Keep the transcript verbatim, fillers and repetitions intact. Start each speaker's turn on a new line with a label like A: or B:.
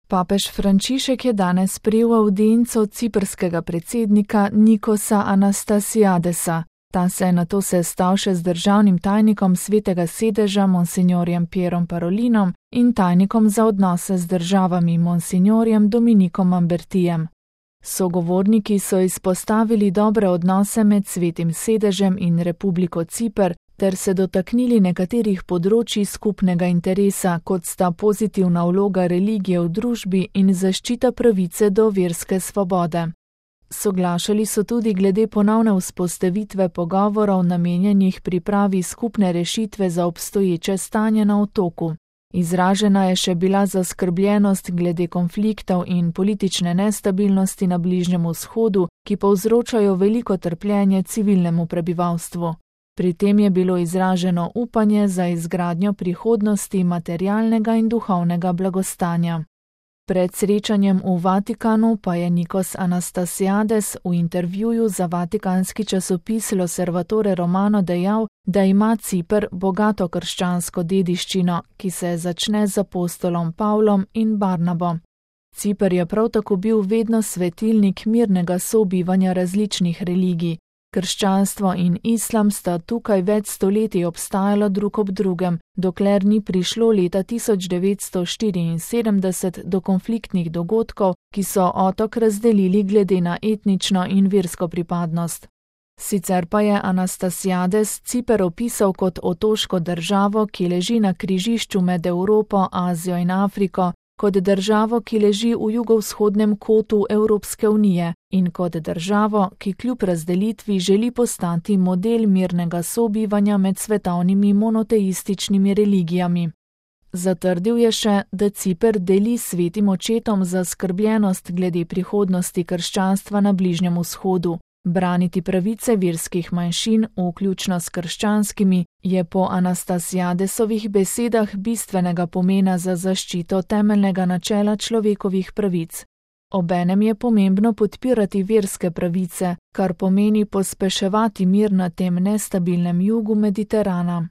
A: Papež Frančišek je danes sprejel avdienco ciprskega predsednika Nikosa Anastasiadesa. Ta se je nato sestal še z državnim tajnikom Svetega sedeža monsignorjem Pierom Parolinom in tajnikom za odnose z državami monsignorjem Dominikom Ambertijem. Sogovorniki so izpostavili dobre odnose med Svetim sedežem in Republiko Ciper ter se dotaknili nekaterih področji skupnega interesa, kot sta pozitivna vloga religije v družbi in zaščita pravice do verske svobode. Soglašali so tudi glede ponovne vzpostavitve pogovorov namenjenih pripravi skupne rešitve za obstoječe stanje na otoku. Izražena je še bila zaskrbljenost glede konfliktov in politične nestabilnosti na Bližnjem vzhodu, ki povzročajo veliko trpljenje civilnemu prebivalstvu. Pri tem je bilo izraženo upanje za izgradnjo prihodnosti materialnega in duhovnega blagostanja. Pred srečanjem v Vatikanu pa je Nikos Anastasiades v intervjuju za vatikanski časopis L'Osservatore Romano dejal, da ima Ciper bogato krščansko dediščino, ki se začne z apostolom Pavlom in Barnabo. Ciper je prav tako bil vedno svetilnik mirnega sobivanja različnih religij. Krščanstvo in islam sta tukaj več stoletij obstajala drug ob drugem, dokler ni prišlo leta tisoč devetsto štiriinsedemdeset do konfliktnih dogodkov, ki so otok razdelili glede na etnično in versko pripadnost. Sicer pa je Anastasiades Ciper opisal kot otoško državo, ki leži na križišču med Evropo, Azijo in Afriko, kot državo, ki leži v jugovzhodnem kotu Evropske unije in kot državo, ki kljub razdelitvi želi postati model mirnega sobivanja med svetovnimi monoteističnimi religijami. Zatrdil je še, da Ciper deli s Svetim očetom zaskrbljenost glede prihodnosti krščanstva na Bližnjem vzhodu. Braniti pravice verskih manjšin, vključno s krščanskimi, je po Anastasiadesovih besedah bistvenega pomena za zaščito temeljnega načela človekovih pravic. Obenem je pomembno podpirati verske pravice, kar pomeni pospeševati mir na tem nestabilnem jugu Mediterana.